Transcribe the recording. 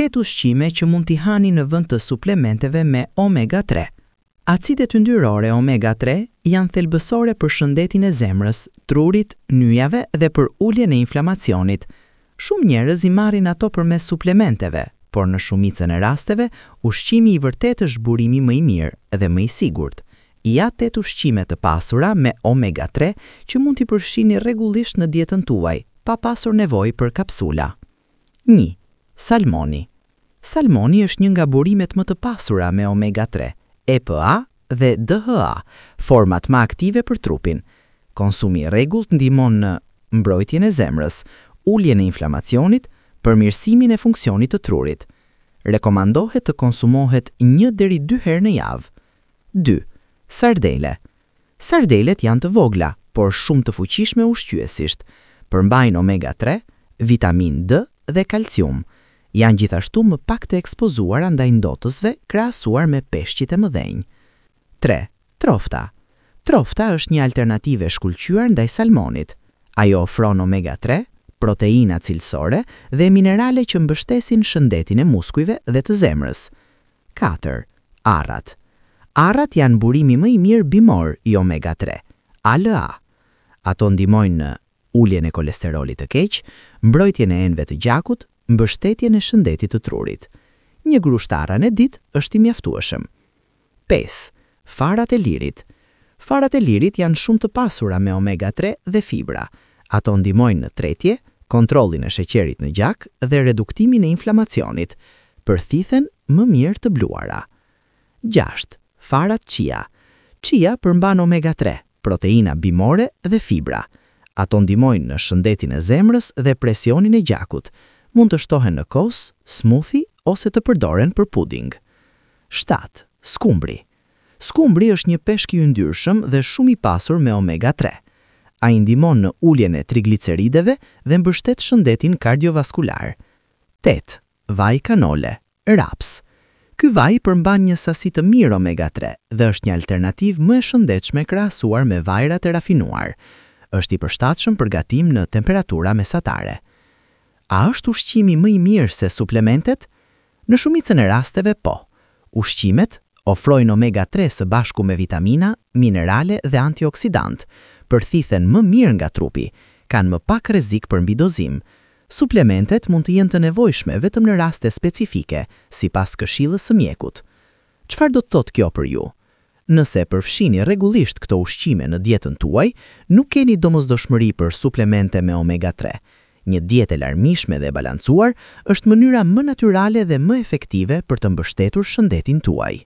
8 ushqime që mund t'i hani në vend të suplementeve me omega 3. Acidet yndyrore omega 3 janë thelbësore për shëndetin e zemrës, trurit, nyjave dhe për uljen e inflamacionit. Shumë njerëz i marrin ato përmes suplementeve, por në shumicën e rasteve, ushqimi i vërtetë është burimi më i mirë dhe më i sigurt. Ja 8 ushqime të pasura me omega 3 që mund t'i përfshini rregullisht në dietën tuaj, pa pasur nevojë për kapsula. 1. Salmoni. Salmoni është një nga burimet më të pasura me omega 3, EPA dhe DHA, format më aktive për trupin. Konsumi i rregullt ndihmon në mbrojtjen e zemrës, uljen e inflamacionit, përmirësimin e funksionit të trurit. Rekomandohet të konsumohet 1 deri 2 herë në javë. 2. Sardele. Sardelet janë të vogla, por shumë të fuqishme ushqyesisht. Përmbajnë omega 3, vitamin D dhe kalcium. Janë gjithashtu më pak të ekspozuara ndaj ndotësve krahasuar me peshqit e mëdhenj. 3. Trofta. Trofta është një alternativë e shkëlqyer ndaj salmonit. Ajo ofron omega 3, proteina cilësore dhe minerale që mbështesin shëndetin e muskujve dhe të zemrës. 4. Arrat. Arrat janë burimi më i mirë bimor i omega 3, ALA. Ato ndihmojnë në uljen e kolesterolit të keq, mbrojtjen e enëve të gjakut, mbështetjen e shëndetit të trurit. Një grusht arra në ditë është i mjaftueshëm. 5. Farat e lirit. Farat e lirit janë shumë të pasura me omega 3 dhe fibra. Ato ndihmojnë në tretje, kontrollin e sheqerit në gjak dhe reduktimin e inflamacionit. Përthithen më mirë të bluara. 6. Farat chia. Chia përmban omega 3, proteina bimore dhe fibra. Ato ndihmojnë në shëndetin e zemrës dhe presionin e gjakut. Mund të shtohen në kos, smoothie ose të përdoren për puding. 7. Skumbri. Skumbri është një peshk i yndyrshëm dhe shumë i pasur me omega 3. Ai ndihmon në uljen e triglicerideve dhe mbështet shëndetin kardiovaskular. 8. Vaj kanole, raps. Ky vaj përmban një sasi të mirë omega 3 dhe është një alternativë më e shëndetshme krahasuar me vajrat e rafinuar. Është i përshtatshëm për gatim në temperatura mesatare. A është ushqimi më i mirë se suplementet? Në shumicën e rasteve po. Ushqimet ofrojnë omega 3 së bashku me vitamina, minerale dhe antioksidant, përthithen më mirë nga trupi, kanë më pak rrezik për mbidozim. Suplementet mund të jenë të nevojshme vetëm në raste specifike, sipas këshillës së mjekut. Çfarë do të thotë kjo për ju? Nëse përfshini rregullisht këto ushqime në dietën tuaj, nuk keni domosdoshmëri për suplemente me omega 3. Një dietë e larmishme dhe e balancuar është mënyra më natyrale dhe më efektive për të mbështetur shëndetin tuaj.